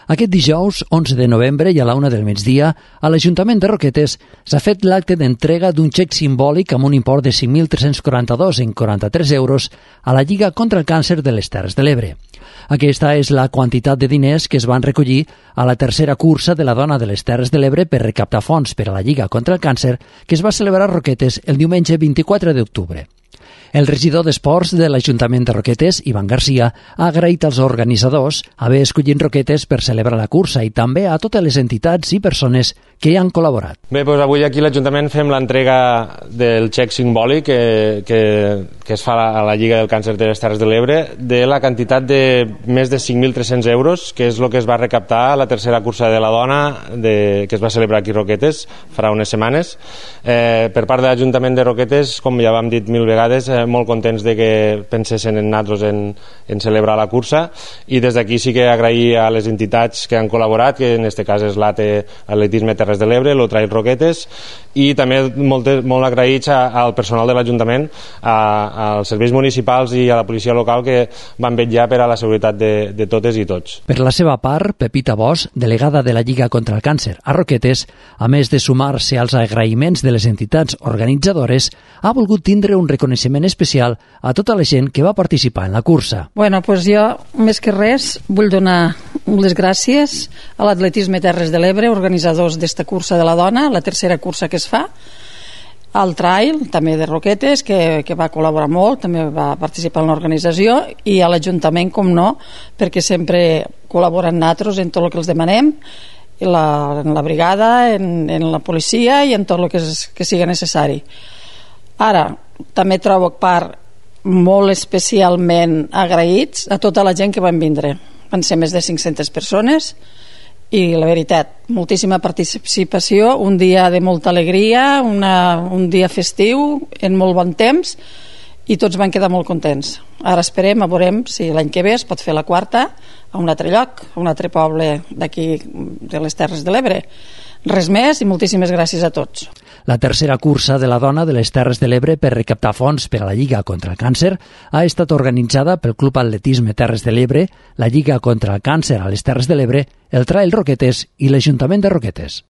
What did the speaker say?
Aquest dijous, 11 de novembre i a la 1 del migdia, a l'Ajuntament de Roquetes s'ha fet l'acte d'entrega d'un xec simbòlic amb un import de 5.342,43 euros a la Lliga contra el Càncer de les Terres de l'Ebre. Aquesta és la quantitat de diners que es van recollir a la tercera cursa de la Dona de les Terres de l'Ebre per recaptar fons per a la Lliga contra el Càncer que es va celebrar a Roquetes el diumenge 24 d'octubre. El regidor d'Esports de l'Ajuntament de Roquetes, Ivan Garcia, ha agraït als organitzadors haver escollit Roquetes per celebrar la cursa i també a totes les entitats i persones que hi han col·laborat. Bé, doncs avui aquí a l'Ajuntament fem l'entrega del xec simbòlic que es fa a la Lliga del Càncer de les Terres de l'Ebre de la quantitat de més de 5.300 euros, que és el que es va recaptar a la tercera cursa de la Dona que es va celebrar aquí a Roquetes farà unes setmanes. Per part de l'Ajuntament de Roquetes, com ja vam dit mil vegades, molt contents de que pensessin en nosaltres en celebrar la cursa, i des d'aquí sí que agrair a les entitats que han col·laborat, que en aquest cas és l'ATE Atletisme Terres de l'Ebre, l'Otrail Roquetes, i també molt agraïts al personal de l'Ajuntament, als serveis municipals i a la policia local que van vetllar per a la seguretat de totes i tots. Per la seva part, Pepita Bosch, delegada de la Lliga contra el Càncer a Roquetes, a més de sumar-se als agraïments de les entitats organitzadores, ha volgut tindre un reconeixement especial a tota la gent que va participar en la cursa. Bueno, pues jo, més que res, vull donar les gràcies a l'Atletisme Terres de l'Ebre, organitzadors d'esta cursa de la Dona, la tercera cursa que es fa, al Trail, també de Roquetes, que va col·laborar molt, també va participar en l'organització, i a l'Ajuntament, com no, perquè sempre col·laboren nosaltres en tot el que els demanem, en la brigada, en la policia i en tot el que sigui necessari. Ara, també trobo part molt especialment agraïts a tota la gent que van vindre. Van ser més de 500 persones i la veritat, moltíssima participació, un dia de molta alegria, un dia festiu, en molt bon temps, i tots van quedar molt contents. Ara esperem, veurem si l'any que ve es pot fer la quarta a un altre lloc, a un altre poble d'aquí de les Terres de l'Ebre. Res més i moltíssimes gràcies a tots. La tercera cursa de la Dona de les Terres de l'Ebre per recaptar fons per a la Lliga contra el Càncer ha estat organitzada pel Club Atletisme Terres de l'Ebre, la Lliga contra el Càncer a les Terres de l'Ebre, el Trail Roquetes i l'Ajuntament de Roquetes.